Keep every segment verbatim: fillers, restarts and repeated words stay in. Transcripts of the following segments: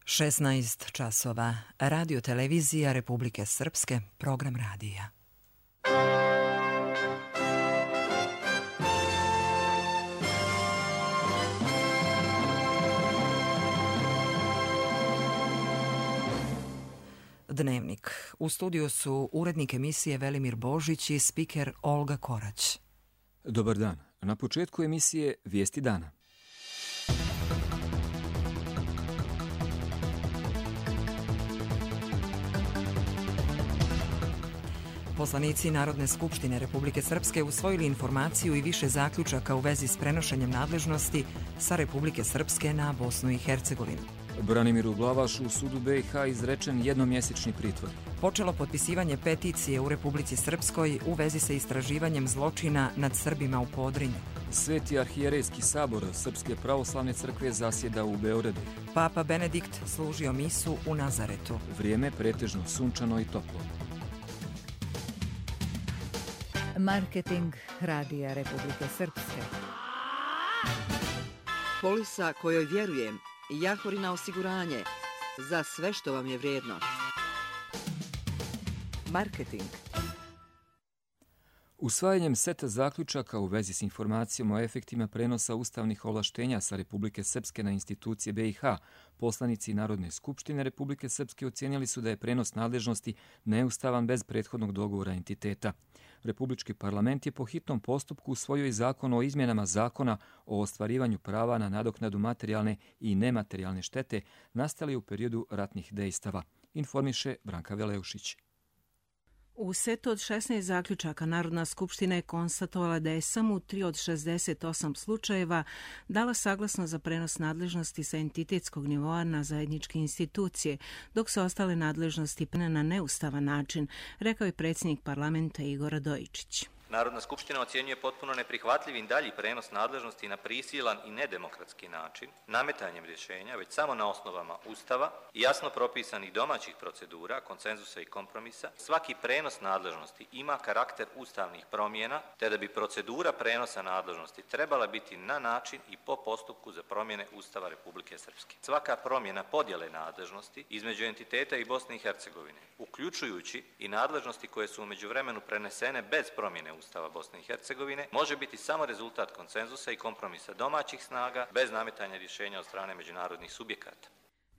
šesnaest časova. Radio televizija Republike Srpske, program radija. Dnevnik. U studiju su urednik emisije Velimir Božić i spiker Olga Korać. Dobar dan. Na početku emisije Vijesti dana. Poslanici Narodne skupštine Republike Srpske usvojili informaciju i više zaključaka u vezi s prenošenjem nadležnosti sa Republike Srpske na Bosnu i Hercegovinu. Branimiru Glavašu u sudu B i H izrečen jednomjesečni pritvor. Počelo potpisivanje peticije u Republici Srpskoj u vezi sa istraživanjem zločina nad Srbima u Podrinju. Sveti arhijerejski sabor Srpske pravoslavne crkve zasjeda u Beogradu. Papa Benedikt služio misu u Nazaretu. Vrijeme pretežno sunčano i toplo. Marketing Radija Republike Srpske. Polisa kojoj vjerujem. Jahorina osiguranje. Za sve što vam je vrijedno. Marketing. Usvajanjem seta zaključaka u vezi s informacijom o efektima prenosa ustavnih ovlaštenja sa Republike Srpske na institucije B i H, poslanici Narodne skupštine Republike Srpske ocijenili su da je prenos nadležnosti neustavan bez prethodnog dogovora entiteta. Republički parlament je po hitnom postupku usvojio i zakon o izmjenama zakona o ostvarivanju prava na nadoknadu materijalne i nematerijalne štete nastale u periodu ratnih dejstava, informiše Branka Veleušić. U setu od šesnaest zaključaka Narodna skupština je konstatovala da je samo u tri od šezdeset osam slučajeva dala saglasnost za prenos nadležnosti sa entitetskog nivoa na zajedničke institucije, dok su ostale nadležnosti prene na neustavan način, rekao je predsjednik parlamenta Igor Radojičić. Narodna skupština ocjenjuje potpuno neprihvatljivim dalji prenos nadležnosti na prisilan i nedemokratski način, nametanjem rješenja već samo na osnovama Ustava i jasno propisanih domaćih procedura, konsenzusa i kompromisa. Svaki prenos nadležnosti ima karakter ustavnih promjena, te da bi procedura prenosa nadležnosti trebala biti na način i po postupku za promjene Ustava Republike Srpske. Svaka promjena podjele nadležnosti između entiteta i Bosne i Hercegovine, uključujući i nadležnosti koje su u međuvremenu prenesene bez promjene Ustava Bosne i Hercegovine, može biti samo rezultat konsenzusa i kompromisa domaćih snaga bez nametanja rješenja od strane međunarodnih subjekata.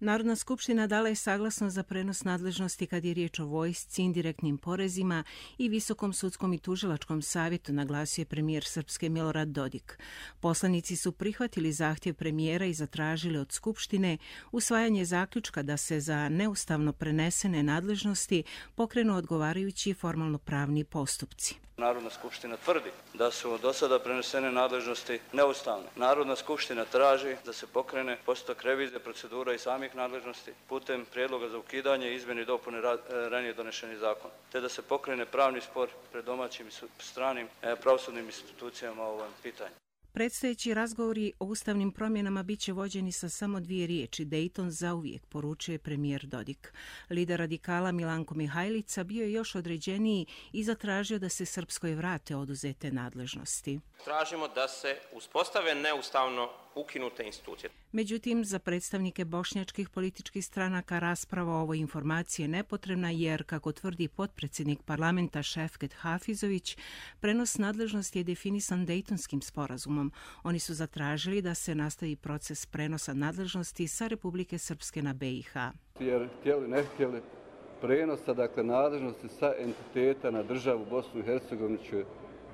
Narodna skupština dala je saglasnost za prenos nadležnosti kad je riječ o vojsci, indirektnim porezima i Visokom sudskom i tužilačkom savjetu, naglasio je premijer Srpske Milorad Dodik. Poslanici su prihvatili zahtjev premijera i zatražili od skupštine usvajanje zaključka da se za neustavno prenesene nadležnosti pokrenu odgovarajući formalno pravni postupci. Narodna skupština tvrdi da su do sada prenesene nadležnosti neustavne. Narodna skupština traži da se pokrene postupak revizije procedura i samih nadležnosti putem prijedloga za ukidanje i izmjene i dopune ranije donešenih zakona, te da se pokrene pravni spor pred domaćim i stranim pravosudnim institucijama o ovom pitanju. Predstojeći razgovori o ustavnim promjenama bit će vođeni sa samo dvije riječi, Dejton zauvijek, poručuje premijer Dodik. Lider radikala Milanko Mihajlica bio je još određeniji i zatražio da se Srpskoj vrate oduzete nadležnosti. Tražimo da se uspostave neustavno ukinute institucije. Međutim, za predstavnike bošnjačkih političkih stranaka rasprava o ovoj informaciji je nepotrebna jer, kako tvrdi potpredsjednik parlamenta Šefket Hafizović, prenos nadležnosti je definisan Dejtonskim sporazumom. Oni su zatražili da se nastavi proces prenosa nadležnosti sa Republike Srpske na B i H. Jer htjeli, ne htjeli, prenosa dakle nadležnosti sa entiteta na državu Bosnu i Hercegovinu će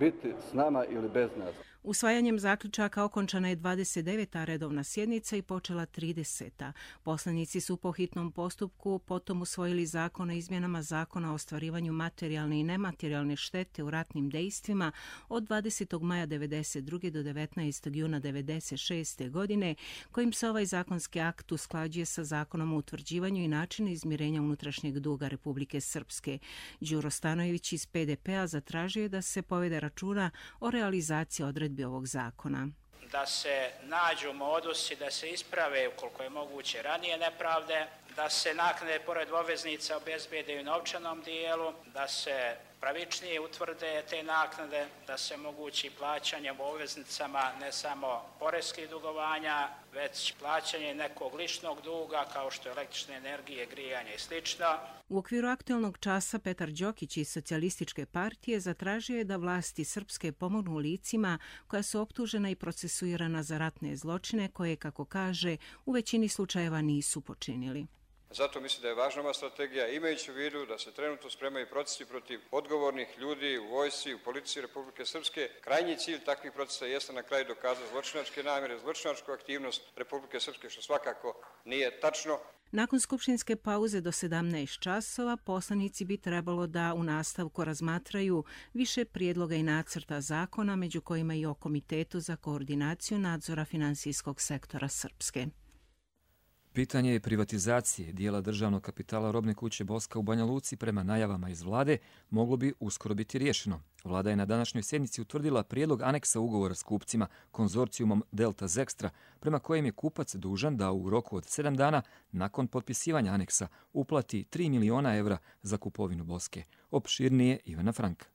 biti s nama ili bez nas. Usvajanjem zaključaka okončana je dvadeset deveta redovna sjednica i počela trideseta. Poslanici su po hitnom postupku potom usvojili zakon o izmjenama zakona o ostvarivanju materijalne i nematerijalne štete u ratnim dejstvima od dvadesetog maja devedeset druge do devetnaestog juna devedeset šeste godine, kojim se ovaj zakonski akt usklađuje sa zakonom o utvrđivanju i načinu izmirenja unutrašnjeg duga Republike Srpske. Đuro Stanojević iz P D P-a zatražio je da se povede računa o realizaciji odredbi ovog zakona. Da se nađu modusi, da se isprave ukoliko je moguće ranije nepravde, da se naknade pored obveznica obezbede u novčanom dijelu, da se pravičnije utvrde te naknade, da se omogući plaćanje u obveznicama ne samo poreskih dugovanja, već plaćanje nekog ličnog duga kao što je električne energije, grijanje i slično. U okviru aktualnog časa Petar Đokić iz Socijalističke partije zatražio je da vlasti srpske pomognu licima koja su optužena i procesuirana za ratne zločine koje, kako kaže, u većini slučajeva nisu počinili. Zato mislim da je važna ova strategija, imajući u vidu da se trenutno spremaju procesi protiv odgovornih ljudi u vojsci, u policiji Republike Srpske. Krajnji cilj takvih procesa jeste na kraju dokazati zločinačke namjere, zločinačku aktivnost Republike Srpske, što svakako nije tačno. Nakon skupštinske pauze do sedamnaest časova poslanici bi trebalo da u nastavku razmatraju više prijedloga i nacrta zakona, među kojima i o Komitetu za koordinaciju nadzora finansijskog sektora Srpske. Pitanje je privatizacije dijela državnog kapitala robne kuće Boska u Banja Luci prema najavama iz vlade moglo bi uskoro biti riješeno. Vlada je na današnjoj sjednici utvrdila prijedlog aneksa ugovora s kupcima konzorcijumom Delta Zextra, prema kojem je kupac dužan da u roku od sedam dana nakon potpisivanja aneksa uplati tri miliona evra za kupovinu Boske. Opširnije Ivana Franka.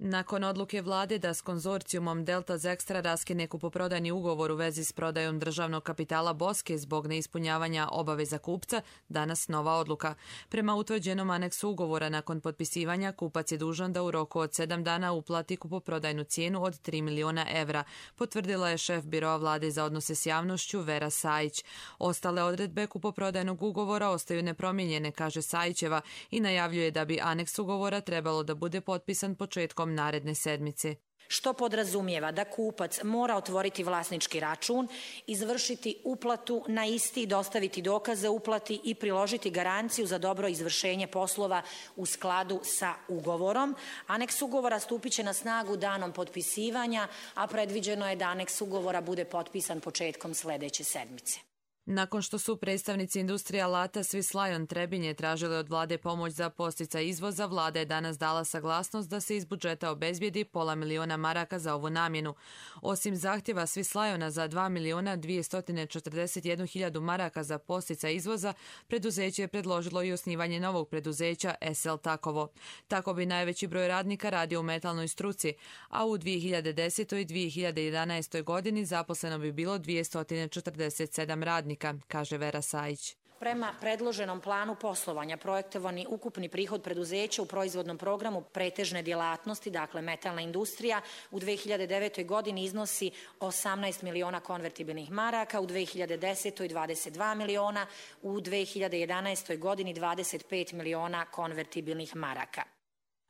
Nakon odluke vlade da s konzorcijumom Delta Zextra raskine kupoprodajni ugovor u vezi s prodajom državnog kapitala Boske zbog neispunjavanja obaveza kupca, danas nova odluka. Prema utvrđenom aneksu ugovora nakon potpisivanja, kupac je dužan da u roku od sedam dana uplati kupoprodajnu cijenu od tri miliona evra, potvrdila je šef biroa vlade za odnose s javnošću Vera Sajić. Ostale odredbe kupoprodajnog ugovora ostaju nepromijenjene, kaže Sajićeva, i najavljuje da bi aneks ugovora trebalo da bude potpisan početkom naredne sedmice. Što podrazumijeva da kupac mora otvoriti vlasnički račun, izvršiti uplatu na isti, dostaviti dokaze uplati i priložiti garanciju za dobro izvršenje poslova u skladu sa ugovorom. Aneks ugovora stupit će na snagu danom potpisivanja, a predviđeno je da aneks ugovora bude potpisan početkom sljedeće sedmice. Nakon što su predstavnici industrije alata Swiss Lion Trebinje tražili od vlade pomoć za podsticaj izvoza, vlada je danas dala saglasnost da se iz budžeta obezbijedi pola miliona maraka za ovu namjenu. Osim zahtjeva Swiss Liona za dva miliona dvjesto četrdeset jednu hiljadu maraka za podsticaj izvoza, preduzeće je predložilo i osnivanje novog preduzeća S L Takovo. Tako bi najveći broj radnika radio u metalnoj struci, a u dvije hiljade desetoj i dvije hiljade jedanaestoj godini zaposleno bi bilo dvjesto četrdeset sedam radnika, kaže Vera Sajić. Prema predloženom planu poslovanja projektovani ukupni prihod preduzeća u proizvodnom programu pretežne djelatnosti, dakle metalna industrija, u dvije hiljade devetoj godini iznosi osamnaest miliona konvertibilnih maraka, u dvije hiljade desetoj dvadeset dva miliona, u dvije hiljade jedanaestoj godini dvadeset pet miliona konvertibilnih maraka.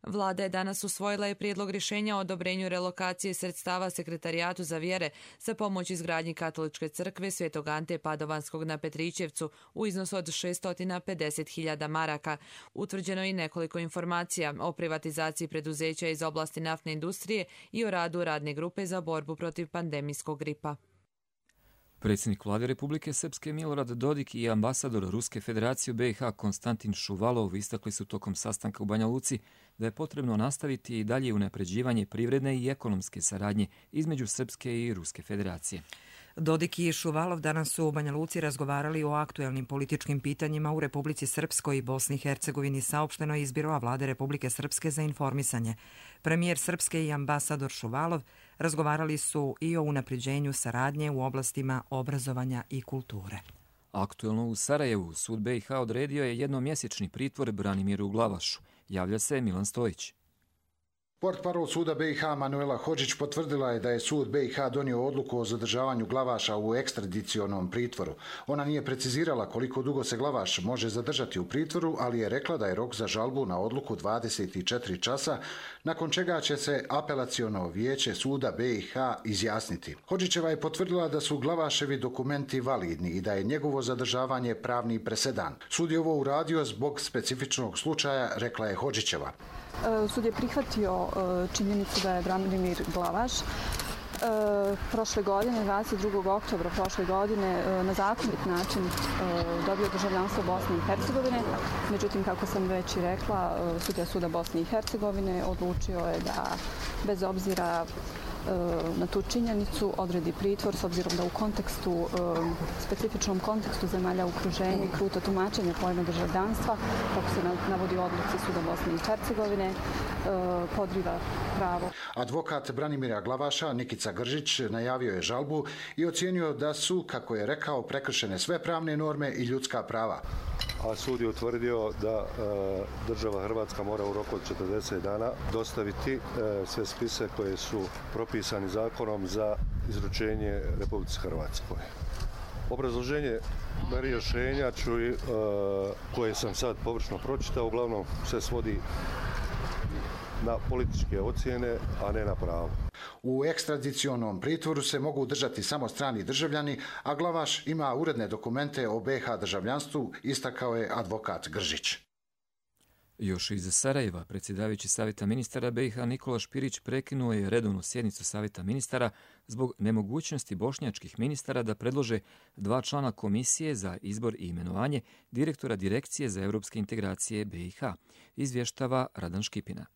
Vlada je danas usvojila i prijedlog rješenja o odobrenju relokacije sredstava Sekretarijatu za vjere za pomoć izgradnji Katoličke crkve Svetog Ante Padovanskog na Petrićevcu u iznosu od šesto pedeset hiljada maraka. Utvrđeno je i nekoliko informacija o privatizaciji preduzeća iz oblasti naftne industrije i o radu radne grupe za borbu protiv pandemijskog gripa. Predsjednik vlade Republike Srpske Milorad Dodik i ambasador Ruske federacije u B i H Konstantin Šuvalov istakli su tokom sastanka u Banja Luci da je potrebno nastaviti i dalje unapređivanje privredne i ekonomske saradnje između Srpske i Ruske federacije. Dodik i Šuvalov danas su u Banja Luci razgovarali o aktuelnim političkim pitanjima u Republici Srpskoj i Bosni i Hercegovini, saopšteno iz biroa vlade Republike Srpske za informisanje. Premijer Srpske i ambasador Šuvalov razgovarali su i o unapređenju saradnje u oblastima obrazovanja i kulture. Aktuelno u Sarajevu sud B i H odredio je jednomjesečni pritvor Branimiru Glavašu. Javlja se Milan Stojić. Portparol suda B i H Manuela Hodžić potvrdila je da je sud B i H donio odluku o zadržavanju Glavaša u ekstradicionom pritvoru. Ona nije precizirala koliko dugo se Glavaš može zadržati u pritvoru, ali je rekla da je rok za žalbu na odluku dvadeset četiri časa, nakon čega će se apelaciono vijeće suda B i H izjasniti. Hodžićeva je potvrdila da su Glavaševi dokumenti validni i da je njegovo zadržavanje pravni presedan. Sud je ovo uradio zbog specifičnog slučaja, rekla je Hodžićeva. Sud je prihvatio činjenicu da je Branimir Glavaš prošle godine, dvadeset drugog oktobra prošle godine, na zakonit način dobio državljanstvo Bosne i Hercegovine. Međutim, kako sam već i rekla, sudija suda Bosne i Hercegovine odlučio je da bez obzira na tu činjenicu odredi pritvor s obzirom da u kontekstu, specifičnom kontekstu zemalja okruženja i kruto tumačenje pojma državljanstva, kako se navodi u odluci Suda Bosne i Hercegovine, podriva pravo. Advokat Branimira Glavaša, Nikica Gržić, najavio je žalbu i ocijenio da su, kako je rekao, prekršene sve pravne norme i ljudska prava. A sud je utvrdio da e, država Hrvatska mora u roku od četrdeset dana dostaviti e, sve spise koje su propisani zakonom za izručenje Republici Hrvatskoj. Obrazloženje rješenja ću, e, koje sam sad površno pročitao, uglavnom se svodi na političke ocjene, a ne na pravo. U ekstradicionom pritvoru se mogu držati samo strani državljani, a Glavaš ima uredne dokumente o B i H državljanstvu, istakao je advokat Gržić. Još iz Sarajeva, predsjedavajući Savjeta ministara B i H Nikola Špirić prekinuo je redovnu sjednicu Savjeta ministara zbog nemogućnosti bošnjačkih ministara da predlože dva člana komisije za izbor i imenovanje direktora Direkcije za europske integracije B i H, izvještava Radan Škipina.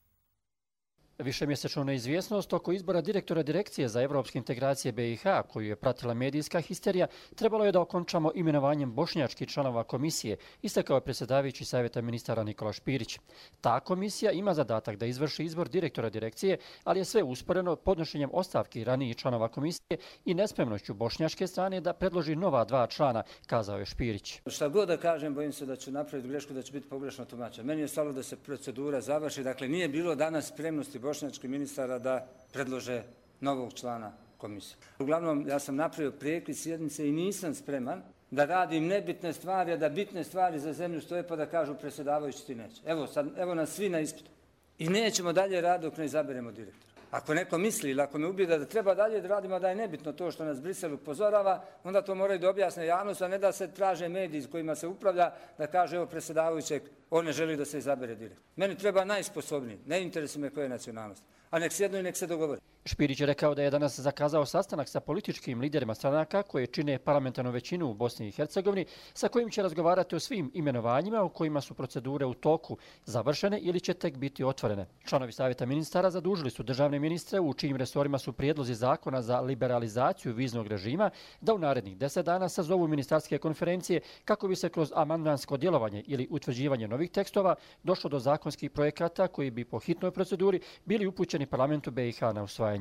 Višemjesečnu neizvjesnost oko izbora direktora Direkcije za evropske integracije B i H, koju je pratila medijska histerija, trebalo je da okončamo imenovanjem bošnjačkih članova komisije, istakao je predsjedavajući Savjeta ministara Nikola Špirić. Ta komisija ima zadatak da izvrši izbor direktora Direkcije, ali je sve usporeno podnošenjem ostavki ranijih članova komisije i nespremnošću bošnjačke strane da predloži nova dva člana, kazao je Špirić. Šta god da kažem, bojim se da ću napraviti grešku, da će biti pogrešno tumačen. Meni je stalo da se procedura završi, dakle nije bilo danas spremnosti bošnjačkih ministara da predlože novog člana komisije. Uglavnom, ja sam napravio prekid sjednice i nisam spreman da radim nebitne stvari, a da bitne stvari za zemlju stoje pa da kažu predsjedavajući ti neće. Evo, sad, evo nas svi na ispitu. I nećemo dalje raditi dok ne izaberemo direktora. Ako neko misli ili ako me ubijeda da treba dalje da radimo, da je nebitno to što nas Brisel upozorava, onda to moraju da objasne javnost, a ne da se traže mediji s kojima se upravlja, da kaže evo predsjedavajućeg, on ne želi da se izabere direktor. Meni treba najsposobniji, ne interesuje me koja je nacionalnost. A nek sjednu i nek se dogovori. Špirić je rekao da je danas zakazao sastanak sa političkim liderima stranaka koje čine parlamentarnu većinu u Bosni i Hercegovini, sa kojim će razgovarati o svim imenovanjima u kojima su procedure u toku završene ili će tek biti otvorene. Članovi Savjeta ministara zadužili su državne ministre u čijim resorima su prijedlozi zakona za liberalizaciju viznog režima da u narednih deset dana sazovu ministarske konferencije kako bi se kroz amandmansko djelovanje ili utvrđivanje novih tekstova došlo do zakonskih projekata koji bi po hitnoj proceduri bili upućeni parlamentu B i H na usvajanje.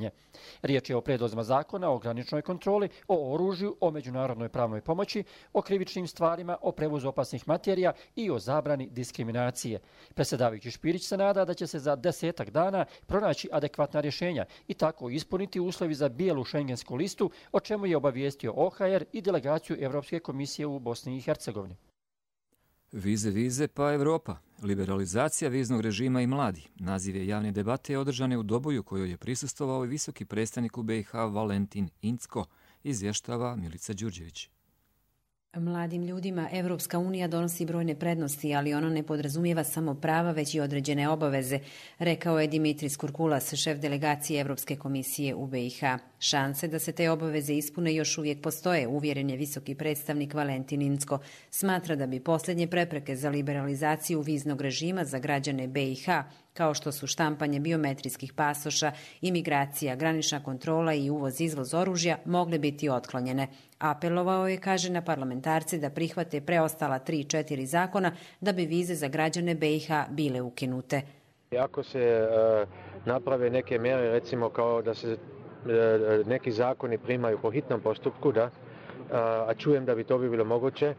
Riječ je o predlozima zakona o graničnoj kontroli, o oružju, o međunarodnoj pravnoj pomoći, o krivičnim stvarima, o prevozu opasnih materija i o zabrani diskriminacije. Predsjedavajući Špirić se nada da će se za desetak dana pronaći adekvatna rješenja i tako ispuniti uslovi za bijelu šengensku listu, o čemu je obavijestio O H R i delegaciju Evropske komisije u Bosni i Hercegovini. Vize, vize, pa Evropa. Liberalizacija viznog režima i mladi. Naziv je javne debate održane u Doboju kojoj je prisustvovao i visoki predstavnik u B i H Valentin Incko, izvještava Milica Đurđević. Mladim ljudima Evropska unija donosi brojne prednosti, ali ono ne podrazumijeva samo prava, već i određene obaveze, rekao je Dimitris Kurkulas, šef delegacije Evropske komisije u B i H. Šanse da se te obaveze ispune još uvijek postoje, uvjeren je visoki predstavnik Valentin Incko. Smatra da bi posljednje prepreke za liberalizaciju viznog režima za građane B i H, kao što su štampanje biometrijskih pasoša, imigracija, granična kontrola i uvoz-izvoz oružja, mogle biti otklonjene. Apelovao je, kaže, na parlamentarce da prihvate preostala tri četiri zakona da bi vize za građane B i H bile ukinute. Ako se uh, naprave neke mjere, recimo kao da se uh, neki zakoni primaju po hitnom postupku, da, uh, a čujem da bi to bi bilo moguće,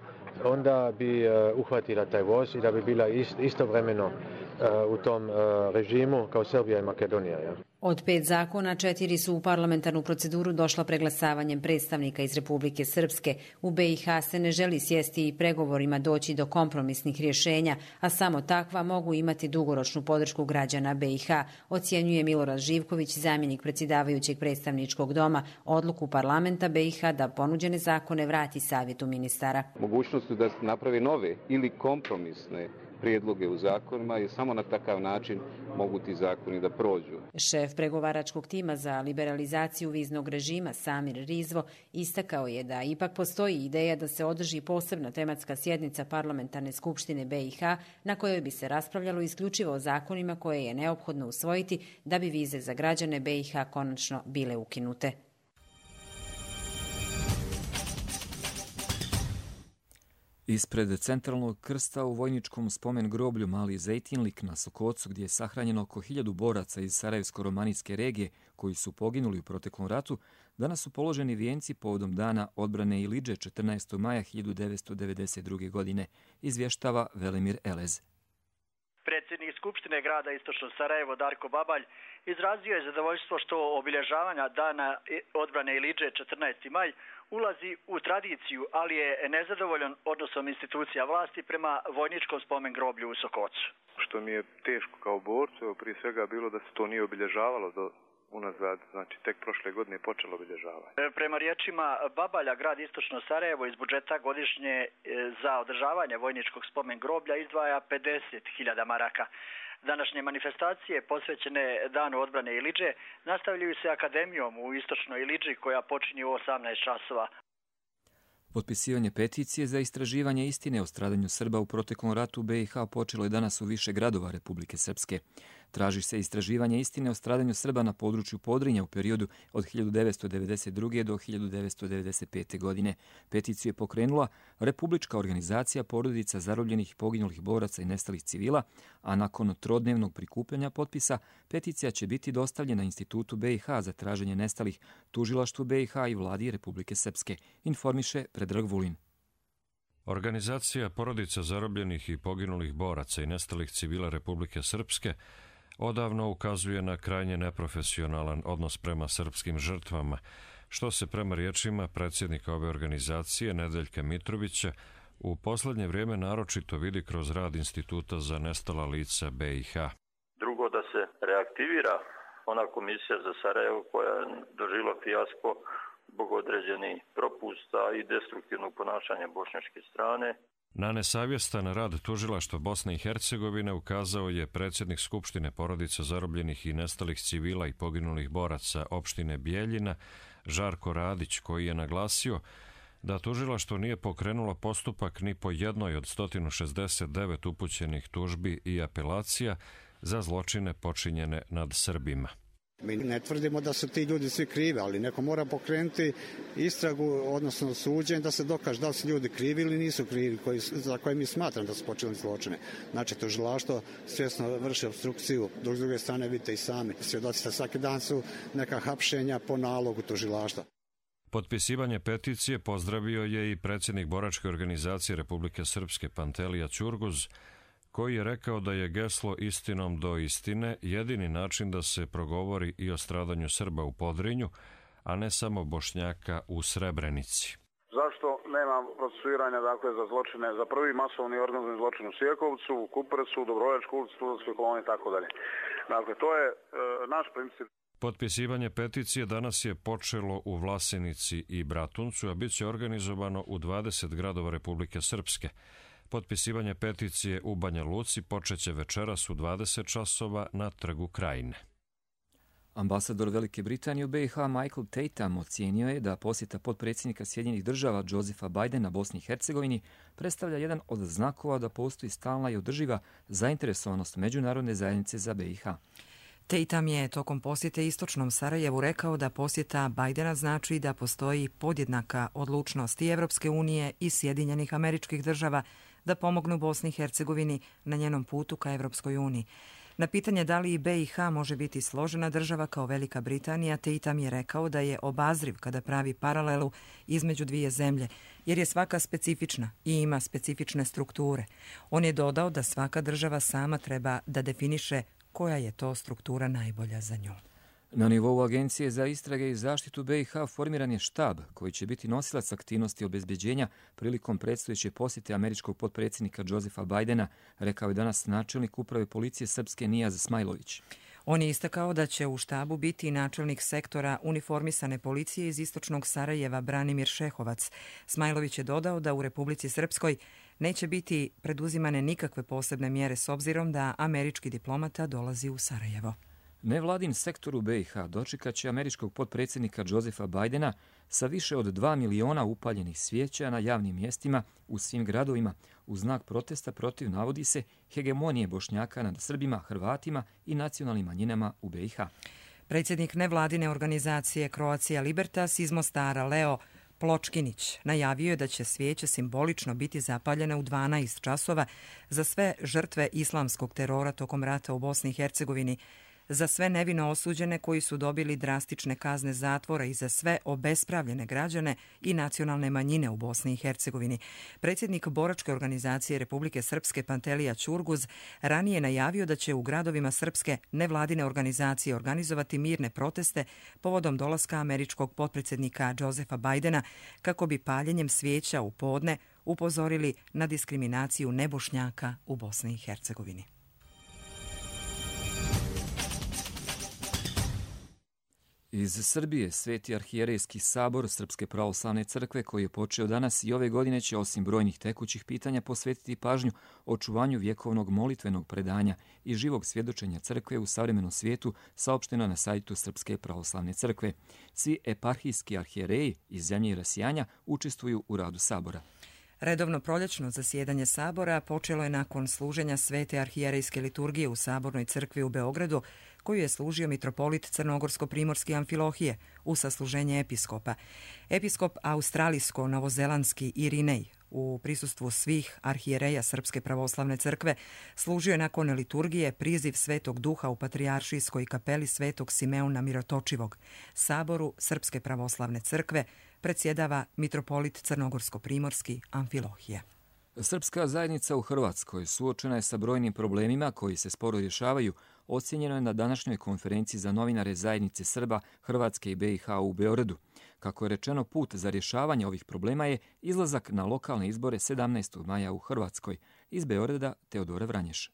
onda bi uh, uhvatila taj voz i da bi bila ist, istovremeno uh, u tom uh, režimu kao Srbija i Makedonija. Ja. Od pet zakona, četiri su u parlamentarnu proceduru došla preglasavanjem predstavnika iz Republike Srpske. U B i H se ne želi sjesti i pregovorima doći do kompromisnih rješenja, a samo takva mogu imati dugoročnu podršku građana B i H, ocjenjuje Milorad Živković, zamjenik predsjedavajućeg predstavničkog doma, odluku parlamenta B i H da ponuđene zakone vrati savjetu ministara. Mogućnost da napravi nove ili kompromisne prijedloge u zakonima i samo na takav način mogu ti zakoni da prođu. Šef pregovaračkog tima za liberalizaciju viznog režima Samir Rizvo istakao je da ipak postoji ideja da se održi posebna tematska sjednica Parlamentarne skupštine B i H na kojoj bi se raspravljalo isključivo o zakonima koje je neophodno usvojiti da bi vize za građane B i H konačno bile ukinute. Ispred centralnog krsta u vojničkom spomen groblju Mali Zejtinlik na Sokocu, gdje je sahranjeno oko hiljadu boraca iz Sarajevsko-romanijske regije koji su poginuli u proteklom ratu, danas su položeni vijenci povodom dana odbrane Ilidže četrnaestog maja hiljadu devetsto devedeset druge. godine, izvještava Velimir Elez. Predsjednik Skupštine grada Istočno Sarajevo Darko Babalj izrazio je zadovoljstvo što obilježavanja dana odbrane Ilidže četrnaesti maj ulazi u tradiciju, ali je nezadovoljan odnosom institucija vlasti prema vojničkom spomen groblju u Sokocu. Što mi je teško kao borcu, prije svega bilo da se to nije obilježavalo do unazad, znači tek prošle godine je počelo obilježavanje. Prema riječima Babalja, grad Istočno Sarajevo iz budžeta godišnje za održavanje vojničkog spomen groblja izdvaja pedeset hiljada maraka. Današnje manifestacije posvećene danu odbrane Ilidže nastavljaju se akademijom u Istočnoj Ilidži koja počinje u osamnaest časova. Potpisivanje peticije za istraživanje istine o stradanju Srba u proteklom ratu u B i H počelo je danas u više gradova Republike Srpske. Traži se istraživanje istine o stradanju Srba na području Podrinja u periodu od hiljadu devetsto devedeset druge. do hiljadu devetsto devedeset pete. godine. Peticiju je pokrenula Republička organizacija porodica zarobljenih i poginulih boraca i nestalih civila, a nakon trodnevnog prikupljanja potpisa peticija će biti dostavljena Institutu B i H za traženje nestalih, Tužilaštvu B i H i Vladi Republike Srpske, informiše Predrag Vulin. Organizacija porodica zarobljenih i poginulih boraca i nestalih civila Republike Srpske odavno ukazuje na krajnje neprofesionalan odnos prema srpskim žrtvama, što se prema riječima predsjednika ove organizacije Nedeljka Mitrovića u posljednje vrijeme naročito vidi kroz rad Instituta za nestala lica B i H. Drugo, da se reaktivira ona komisija za Sarajevo koja je doživjela fijasko zbog određenih propusta i destruktivnog ponašanja bošnjačke strane. Na nesavjestan rad Tužilaštva Bosne i Hercegovine ukazao je predsjednik Skupštine porodica zarobljenih i nestalih civila i poginulih boraca opštine Bijeljina, Žarko Radić, koji je naglasio da tužilaštvo nije pokrenulo postupak ni po jednoj od sto šezdeset devet upućenih tužbi i apelacija za zločine počinjene nad Srbima. Mi ne tvrdimo da su ti ljudi svi krivi, ali neko mora pokrenuti istragu, odnosno suđenje, da se dokaže da li su ljudi krivi ili nisu krivi, koji, za koje mi smatram da su počinili zločine. Znači, tužilaštvo svjesno vrši obstrukciju, dok s druge strane vidite i sami. Svjedoci da svaki dan su neka hapšenja po nalogu tužilaštva. Potpisivanje peticije pozdravio je i predsjednik boračke organizacije Republike Srpske Pantelija Ćurguz, koji je rekao da je geslo istinom do istine jedini način da se progovori i o stradanju Srba u Podrinju, a ne samo Bošnjaka u Srebrenici. Zašto nema procesuiranja dakle, za zločine, za prvi masovni organizovani zločin u Sjekovcu, u Kupresu, Dobrovoljačkoj ulici, Studentskoj koloniji i tako dalje. Dakle, to je e, naš princip. Potpisivanje peticije danas je počelo u Vlasenici i Bratuncu, a bit će organizovano u dvadeset gradova Republike Srpske. Potpisivanje peticije u Banja Luci počeće večeras u dvadeset časova na Trgu Krajine. Ambasador Velike Britanije u B i H Michael Tatum ocijenio je da posjeta potpredsjednika Sjedinjenih država Josepha Bidena Bosni i Hercegovini predstavlja jedan od znakova da postoji stalna i održiva zainteresovanost međunarodne zajednice za B i H. Tatum je tokom posjete Istočnom Sarajevu rekao da posjeta Bidena znači da postoji podjednaka odlučnost i Evropske unije i Sjedinjenih Američkih Država da pomognu Bosni i Hercegovini na njenom putu ka Evropskoj uniji. Na pitanje da li i B i H može biti složena država kao Velika Britanija, Tatum je rekao da je obazriv kada pravi paralelu između dvije zemlje, jer je svaka specifična i ima specifične strukture. On je dodao da svaka država sama treba da definiše koja je to struktura najbolja za nju. Na nivou Agencije za istrage i zaštitu B i H formiran je štab koji će biti nosilac aktivnosti obezbeđenja prilikom predstojeće posjete američkog potpredsjednika Josepha Bidena, rekao je danas načelnik uprave policije Srpske Nijaz Smajlović. On je istakao da će u štabu biti načelnik sektora uniformisane policije iz Istočnog Sarajeva Branimir Šehovac. Smajlović je dodao da u Republici Srpskoj neće biti preduzimane nikakve posebne mjere s obzirom da američki diplomata dolazi u Sarajevo. Nevladin sektor u B i H dočekat će američkog potpredsjednika Josefa Bidena sa više od dva miliona upaljenih svijeća na javnim mjestima u svim gradovima u znak protesta protiv, navodi se, hegemonije Bošnjaka nad Srbima, Hrvatima i nacionalnim manjinama u B i H. Predsjednik nevladine organizacije Croatia Libertas iz Mostara, Leo Pločkinić, najavio je da će svijeće simbolično biti zapaljene u dvanaest časova za sve žrtve islamskog terora tokom rata u Bosni i Hercegovini, za sve nevino osuđene koji su dobili drastične kazne zatvora i za sve obespravljene građane i nacionalne manjine u Bosni i Hercegovini. Predsjednik boračke organizacije Republike Srpske Pantelija Ćurguz ranije najavio da će u gradovima srpske nevladine organizacije organizovati mirne proteste povodom dolaska američkog potpredsjednika Josefa Bidena kako bi paljenjem svijeća u podne upozorili na diskriminaciju nebošnjaka u Bosni i Hercegovini. Iz Srbije Sveti arhijerejski sabor Srpske pravoslavne crkve, koji je počeo danas i ove godine, će osim brojnih tekućih pitanja posvetiti pažnju očuvanju vjekovnog molitvenog predanja i živog svjedočenja crkve u savremenom svijetu, saopšteno na sajtu Srpske pravoslavne crkve. Svi eparhijski arhijereji iz zemlje i rasijanja učestvuju u radu sabora. Redovno proljećno zasjedanje sabora počelo je nakon služenja Svete arhijerejske liturgije u Sabornoj crkvi u Beogradu, koju je služio mitropolit Crnogorsko-primorski Amfilohije u sasluženje episkopa. Episkop australijsko-novozelandski Irinej u prisustvu svih arhijereja Srpske pravoslavne crkve služio je nakon liturgije priziv Svetog Duha u Patrijaršijskoj kapeli Svetog Simeona Mirotočivog. Saboru Srpske pravoslavne crkve predsjedava mitropolit Crnogorsko-primorski Amfilohije. Srpska zajednica u Hrvatskoj suočena je sa brojnim problemima koji se sporo rješavaju, ocjenjeno je na današnjoj konferenciji za novinare zajednice Srba, Hrvatske i B i H u Beogradu. Kako je rečeno, put za rješavanje ovih problema je izlazak na lokalne izbore sedamnaestog maja u Hrvatskoj. Iz Beograda Teodora Vranješ.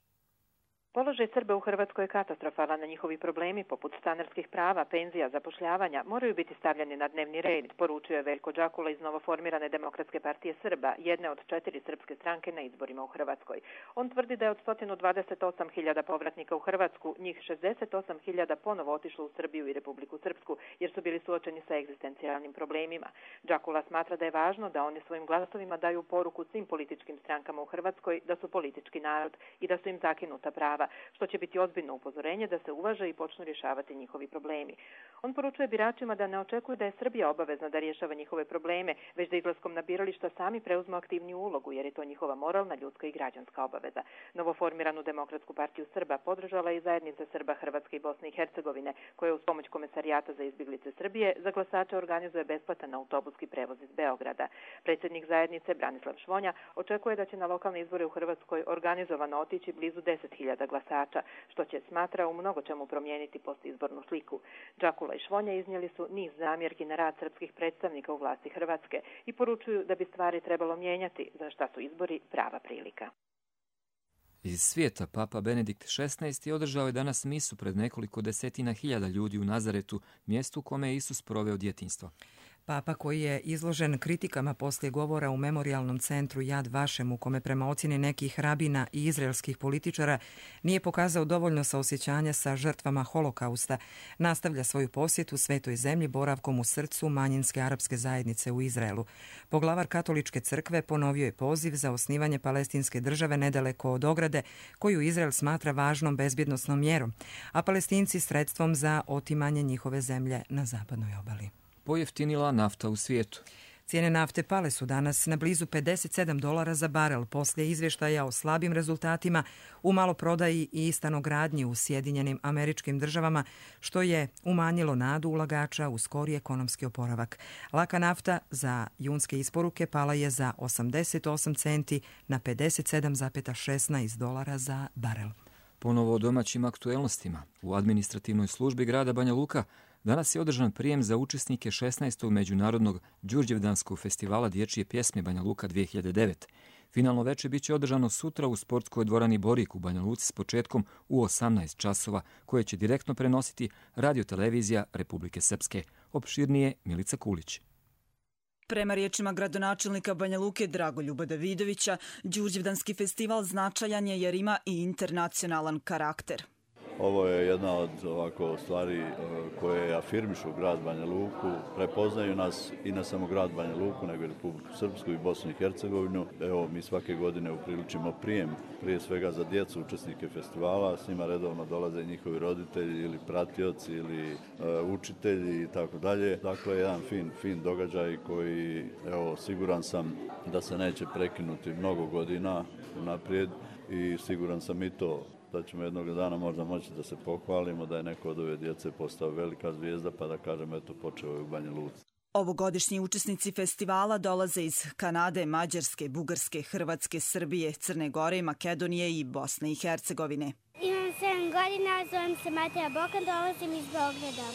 Položaj Srba u Hrvatskoj je katastrofalan, na njihovi problemi poput stanarskih prava, penzija, zapošljavanja moraju biti stavljeni na dnevni red, poručio je Veljko Đakula iz novoformirane Demokratske partije Srba, jedne od četiri srpske stranke na izborima u Hrvatskoj. On tvrdi da je od sto dvadeset osam hiljada povratnika u Hrvatsku, njih šezdeset osam hiljada ponovo otišlo u Srbiju i Republiku Srpsku, jer su bili suočeni sa egzistencijalnim problemima. Đakula smatra da je važno da oni svojim glasovima daju poruku svim političkim strankama u Hrvatskoj da su politički narod i da su im zakinuta prava, što će biti ozbiljno upozorenje da se uvaže i počnu rješavati njihovi problemi. On poručuje biračima da ne očekuje da je Srbija obavezna da rješava njihove probleme, već da izlaskom na birališta sami preuzmu aktivniju ulogu, jer je to njihova moralna, ljudska i građanska obaveza. Novoformiranu Demokratsku partiju Srba podržala je i zajednica Srba Hrvatske i Bosne i Hercegovine, koja uz pomoć Komesarijata za izbjeglice Srbije za glasače organizuje besplatan autobuski prevoz iz Beograda. Predsjednik zajednice Branislav Švonja očekuje da će na lokalne izbore u Hrvatskoj organizovano otići blizu deset hiljada glasača, što će, smatra, u mnogo čemu promijeniti postizbornu sliku. Đakula i Švonja iznijeli su niz zamjerki na rad srpskih predstavnika u vlasti Hrvatske i poručuju da bi stvari trebalo mijenjati, za šta su izbori prava prilika. Iz svijeta Papa Benedikt šesnaesti održao je danas misu pred nekoliko desetina hiljada ljudi u Nazaretu, mjestu u kome je Isus proveo djetinjstvo. Papa, koji je izložen kritikama poslije govora u memorijalnom centru Yad Vashem, u kome prema ocjeni nekih rabina i izraelskih političara nije pokazao dovoljno saosjećanja sa žrtvama holokausta, nastavlja svoju posjetu Svetoj zemlji boravkom u srcu manjinske arapske zajednice u Izraelu. Poglavar katoličke crkve ponovio je poziv za osnivanje palestinske države nedaleko od ograde, koju Izrael smatra važnom bezbjednosnom mjerom, a Palestinci sredstvom za otimanje njihove zemlje na zapadnoj obali. Pojeftinila nafta u svijetu. Cijene nafte pale su danas na blizu pedeset sedam dolara za barel poslije izvještaja o slabim rezultatima u maloprodaji i stanogradnji u Sjedinjenim Američkim Državama, što je umanjilo nadu ulagača u skori ekonomski oporavak. Laka nafta za junske isporuke pala je za osamdeset osam centi na pedeset sedam zarez šesnaest dolara za barel. Ponovo o domaćim aktuelnostima. U administrativnoj službi grada Banja Luka danas je održan prijem za učesnike šesnaestog međunarodnog Đurđevdanskog festivala dječje pjesme Banja Luka dvije hiljade devet. Finalno veče biće održano sutra u sportskoj dvorani Borik u Banja Luci s početkom u osamnaest časova, koje će direktno prenositi radiotelevizija Republike Srpske. Opširnije Milica Kulić. Prema riječima gradonačelnika Banja Luke Dragoljuba Davidovića, Đurđevdanski festival značajan je jer ima i internacionalan karakter. Ovo je jedna od ovako stvari koje afirmišu grad Banja Luku, prepoznaju nas i ne samo grad Banja Luku, nego i Republiku Srpsku i Bosnu i Hercegovinu. Evo, mi svake godine upriličimo prijem, prije svega za djecu, učesnike festivala, s njima redovno dolaze njihovi roditelji ili pratioci ili uh, učitelji i tako dalje. Dakle, jedan fin, fin događaj koji, evo, siguran sam da se neće prekinuti mnogo godina naprijed i siguran sam i to da ćemo jednog dana možda moći da se pohvalimo da je neko od ove djece postao velika zvijezda, pa da kažem, eto, počeo je u Banja Luci. Ovogodišnji učesnici festivala dolaze iz Kanade, Mađarske, Bugarske, Hrvatske, Srbije, Crne Gore, Makedonije i Bosne i Hercegovine. Imam sedam godina, zovem se Mateja Bokan, dolazim iz Beograda.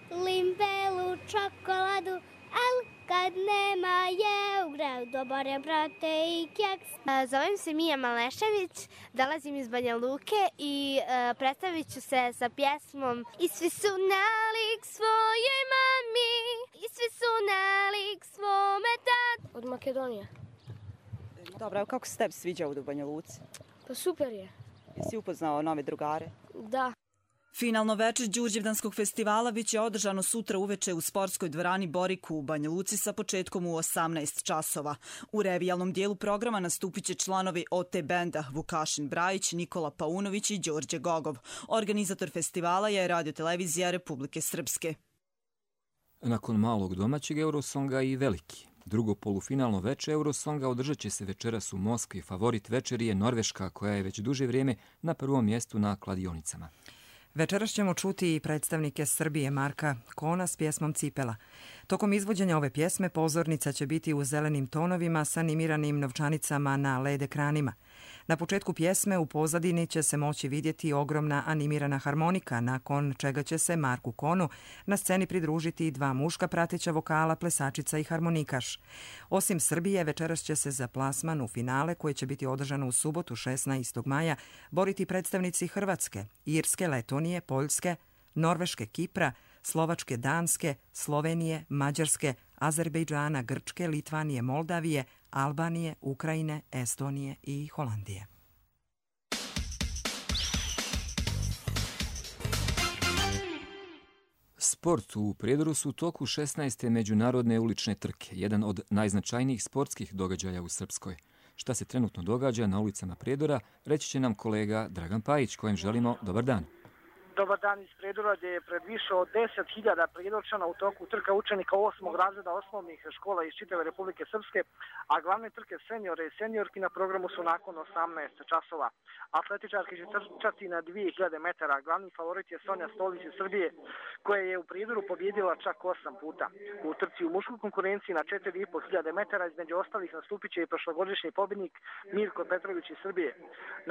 Volim belu čokoladu, ali kad nema je u gradu dobare brate i keks. Zovem se Mija Malešević, dolazim iz Banja Luke i uh, predstavit ću se sa pjesmom I svi su nalik svoje mami, i svi su nalik svome tatu. Od Makedonije. Dobro, kako se tebi sviđa ovdje u Banja Luci? Pa super je. Jesi upoznao nove drugare? Da. Finalno večer Đurđevdanskog festivala biće održano sutra uveče u sportskoj dvorani Boriku u Banja Luci sa početkom u osamnaest časova. U revijalnom dijelu programa nastupit će članovi O T benda Vukašin Brajić, Nikola Paunović i Đorđe Gogov. Organizator festivala je Radiotelevizija Republike Srpske. Nakon malog domaćeg Eurosonga i veliki. Drugo polufinalno veče Eurosonga održat će se večeras u Moskvi. Favorit večeri je Norveška, koja je već duže vrijeme na prvom mjestu na kladionicama. Večeras ćemo čuti i predstavnike Srbije Marka Kona s pjesmom Cipela. Tokom izvođenja ove pjesme pozornica će biti u zelenim tonovima s animiranim novčanicama na L E D ekranima. Na početku pjesme u pozadini će se moći vidjeti ogromna animirana harmonika, nakon čega će se Marku Konu na sceni pridružiti dva muška prateća vokala, plesačica i harmonikaš. Osim Srbije, večeras će se za plasman u finale, koje će biti održano u subotu šesnaestog maja, boriti predstavnici Hrvatske, Irske, Letonije, Poljske, Norveške, Kipra, Slovačke, Danske, Slovenije, Mađarske, Azerbejdžana, Grčke, Litvanije, Moldavije, Albanije, Ukrajine, Estonije i Holandije. Sport u Prijedoru su u toku šesnaeste međunarodne ulične trke, jedan od najznačajnijih sportskih događaja u Srpskoj. Šta se trenutno događa na ulicama Prijedora, reći će nam kolega Dragan Pajić, kojem želimo dobar dan. Dobar dan iz Prijedora, gdje je pred više od deset hiljada Prijedorčana u toku trka učenika osmog razreda osnovnih škola iz čitave Republike Srpske, a glavne trke seniore i seniorki na programu su nakon osamnaest časova. Atletičarki će trčati na dvije hiljade metara. Glavni favorit je Sonja Stolić iz Srbije, koja je u Prijedoru pobjedila čak osam puta. U trci u muškoj konkurenciji na četiri i po hiljade metara između ostalih nastupit će i prošlogodišnji pobjednik Mirko Petrović iz Srbije.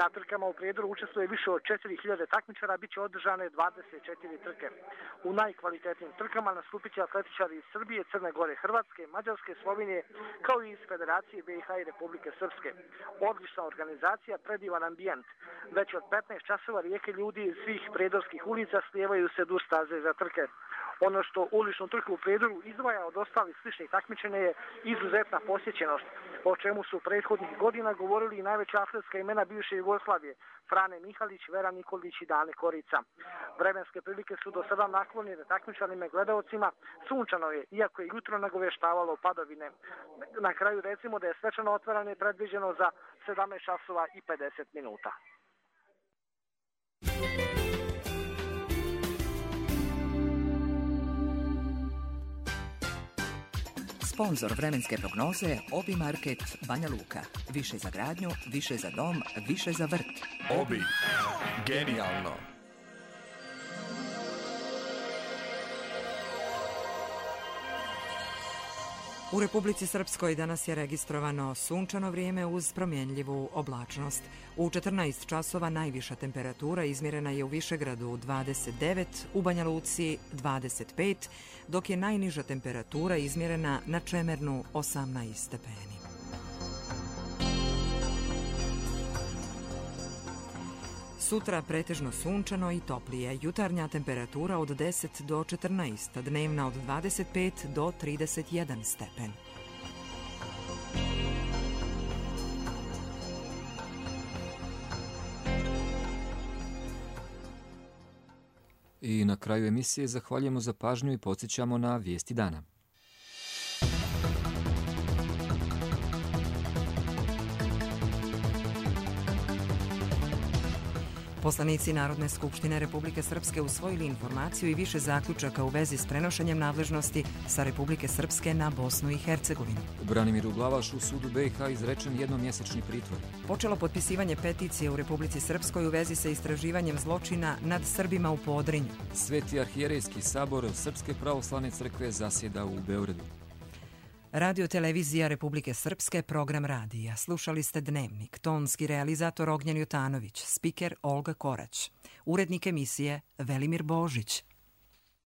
Na trkama u Prijedoru učestvuje više od četiri hiljade takmičara, bit će održano dvadeset četiri trke. U najkvalitetnijim trkama nastupit će atletičari iz Srbije, Crne Gore, Hrvatske, Mađarske, Slovenije, kao i iz Federacije B i H i Republike Srpske. Odlična organizacija, predivan ambijent. Već od petnaest časova rijeke ljudi iz svih prijedorskih ulica slijevaju se duž staze za trke. Ono što uličnu trku u Prijedoru izdvaja od ostalih sličnih takmičenja je izuzetna posjećenost, o čemu su prethodnih godina govorili i najveća atletska imena bivše Jugoslavije, Frane Mihalić, Vera Nikolić i Dane Korica. Vremenske prilike su do sada naklonjene takmičanim gledaocima, sunčano je, iako je jutro nagoveštavalo padovine. Na kraju recimo da je svečano otvaranje predviđeno za sedamnaest časova i pedeset minuta. Sponzor vremenske prognoze Obi Market Banja Luka. Više za gradnju, više za dom, više za vrt. Obi. Genijalno. U Republici Srpskoj danas je registrovano sunčano vrijeme uz promjenljivu oblačnost. U četrnaest časova najviša temperatura izmjerena je u Višegradu dvadeset devet, u Banja Luci dvadeset pet, dok je najniža temperatura izmjerena na Čemernu osamnaest stepeni. Sutra pretežno sunčano i toplije. Jutarnja temperatura od deset do četrnaest, dnevna od dvadeset pet do trideset jedan stepen. I na kraju emisije zahvaljujemo za pažnju i podsjećamo na vijesti dana. Poslanici Narodne skupštine Republike Srpske usvojili informaciju i više zaključaka u vezi s prenošenjem nadležnosti sa Republike Srpske na Bosnu i Hercegovinu. Branimiru Glavašu sudu B i H izrečen jednomjesečni pritvor. Počelo potpisivanje peticije u Republici Srpskoj u vezi sa istraživanjem zločina nad Srbima u Podrinju. Sveti arhijerejski sabor Srpske pravoslavne crkve zasjeda u Beogradu. Radio televizija Republike Srpske, program radija. Slušali ste Dnevnik, tonski realizator Ognjen Jutanović, spiker Olga Korać, urednik emisije Velimir Božić.